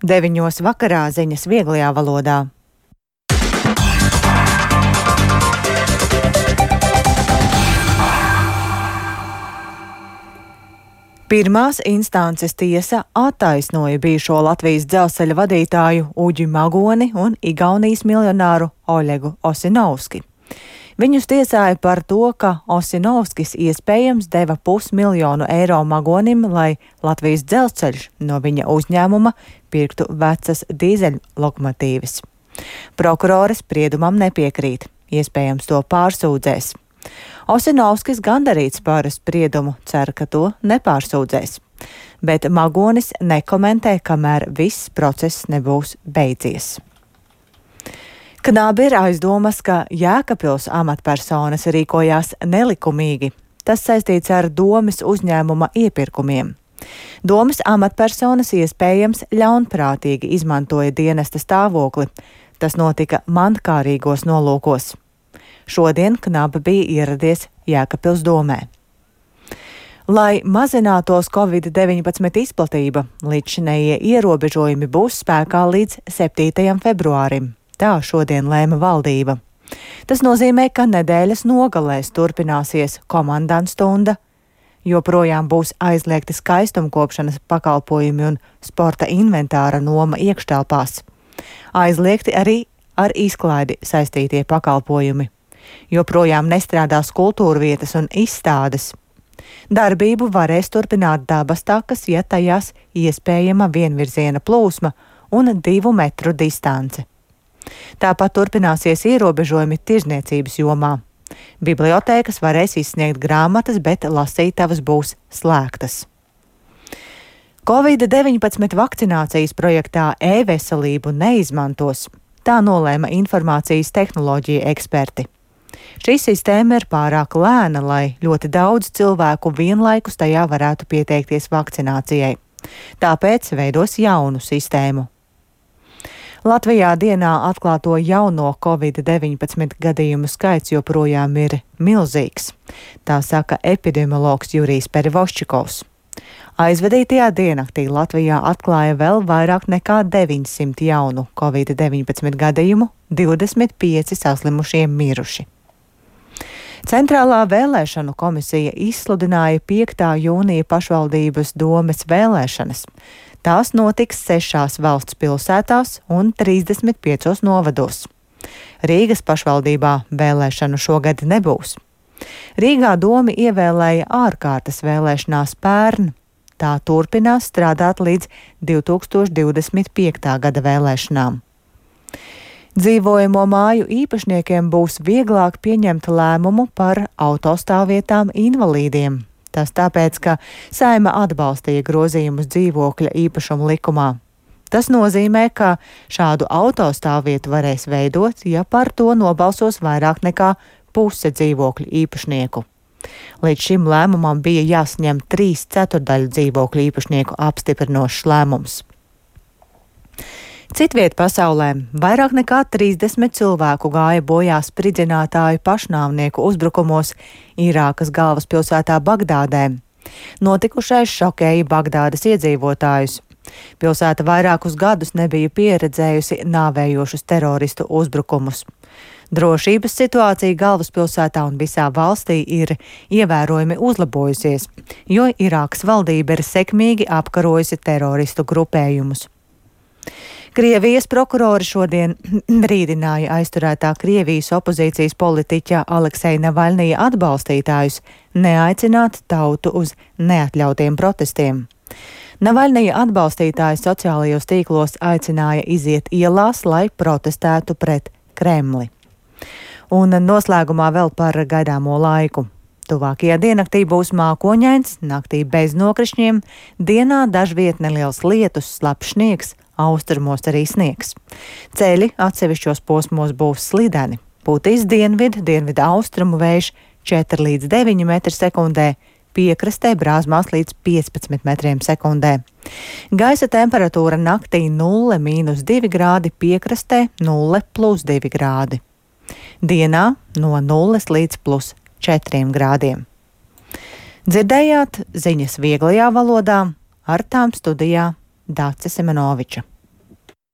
9 vakarā ziņas vieglajā valodā. Pirmās instances tiesa attaisnoja bijušo Latvijas dzelzceļa vadītāju Uģi Magoni un Igaunijas miljonāru Oļegu Osinovski. Viņus tiesāja par to, ka Osinovskis iespējams deva 500 000 eiro Magonim, lai Latvijas dzelzceļš no viņa uzņēmuma pirktu vecas dīzeļlokomotīvas. Prokurore spriedumam nepiekrīt, iespējams to pārsūdzēs. Osinovskis gandarīts par spriedumu, cer, ka to nepārsūdzēs, bet Magonis nekomentē, kamēr viss process nebūs beidzies. Knabi ir aizdomas, ka Jēkabpils amatpersonas rīkojās nelikumīgi. Tas saistīts ar Domes uzņēmuma iepirkumiem. Domes amatpersonas iespējams ļaunprātīgi izmantoja dienesta stāvokli. Tas notika mankārīgos nolūkos. Šodien Knaba bija ieradies Jēkabpils domē. Lai mazinātos Covid-19 izplatība, līdzšinējie ierobežojumi būs spēkā līdz 7. februārim. Tā šodien lēma valdība. Tas nozīmē, ka nedēļas nogalēs turpināsies komandantstunda, joprojām būs aizliegti skaistumkopšanas pakalpojumi un sporta inventāra noma iekštelpās. Aizliegti arī ar izklaidi saistītie pakalpojumi. Joprojām nestrādās kultūrvietas un izstādes. Darbību varēs turpināt dabas takas, ja tajās iespējama vienvirziena plūsma un 2 metru distance. Tāpat turpināsies ierobežojumi tirzniecības jomā. Bibliotēkas varēs izsniegt grāmatas, bet lasītavas būs slēgtas. Covid-19 vakcinācijas projektā e-veselību neizmantos. Tā nolēma informācijas tehnoloģija eksperti. Šī sistēma ir pārāk lēna, lai ļoti daudz cilvēku vienlaikus tajā varētu pieteikties vakcinācijai. Tāpēc veidos jaunu sistēmu. Latvijā dienā atklāto jauno Covid-19 gadījumu skaits joprojām ir milzīgs. Tā saka epidemiologs Jurijs Perivoščikovs. Aizvadītajā diennaktī Latvijā atklāja vēl vairāk nekā 900 jaunu Covid-19 gadījumu, 25 saslimušie miruši. Centrālā vēlēšanu komisija izsludināja 5. jūnija pašvaldības domes vēlēšanas. Tās notiks 6 valsts pilsētās un 35 novados. Rīgas pašvaldībā vēlēšanu šogad nebūs. Rīgā domi ievēlēja ārkārtas vēlēšanās pērn. Tā turpinās strādāt līdz 2025. gada vēlēšanām. Dzīvojamo māju īpašniekiem būs vieglāk pieņemt lēmumu par autostāvvietām invalīdiem. Tas tāpēc, ka Saeima atbalstīja grozījumus dzīvokļa īpašuma likumā. Tas nozīmē, ka šādu autostāvvietu varēs veidot, ja par to nobalsos vairāk nekā puse dzīvokļu īpašnieku. Līdz šim lēmumam bija jāsaņem 3/4 dzīvokļu īpašnieku apstiprinošs lēmums. Citviet pasaulē vairāk nekā 30 cilvēku gāja bojā spridzinātāju pašnāvnieku uzbrukumos Irākas galvaspilsētā Bagdādē. Notikušais šokēja Bagdādas iedzīvotājus. Pilsēta vairākus gadus nebija pieredzējusi nāvējošus teroristu uzbrukumus. Drošības situācija galvaspilsētā un visā valstī ir ievērojami uzlabojusies, jo Irākas valdība ir sekmīgi apkarojusi teroristu grupējumus. Krievijas prokurori šodien brīdināja aizturētā Krievijas opozīcijas politiķa Alekseja Navaļnija atbalstītājus neaicināt tautu uz neatļautiem protestiem. Navaļnija atbalstītāji sociālajos tīklos aicināja iziet ielās, lai protestētu pret Kremli. Un noslēgumā vēl par gaidāmo laiku. Tuvākajā diennaktī būs mākoņains, naktī bez nokrišņiem, dienā dažviet neliels lietus, slapjš sniegs, austrumos arī sniegs. Ceļi atsevišķos posmos būs slideni. Pūtīs dienvidu austrumu vējš 4 līdz 9 metri sekundē, piekrastē brāzmās līdz 15 metriem sekundē. Gaisa temperatūra naktī 0–2 grādi, piekrastē 0+2 grādi. Dienā no 0 līdz +4 grādiem. Dzirdējāt ziņas vieglajā valodā, ar tām studijā Dāce Semenoviča.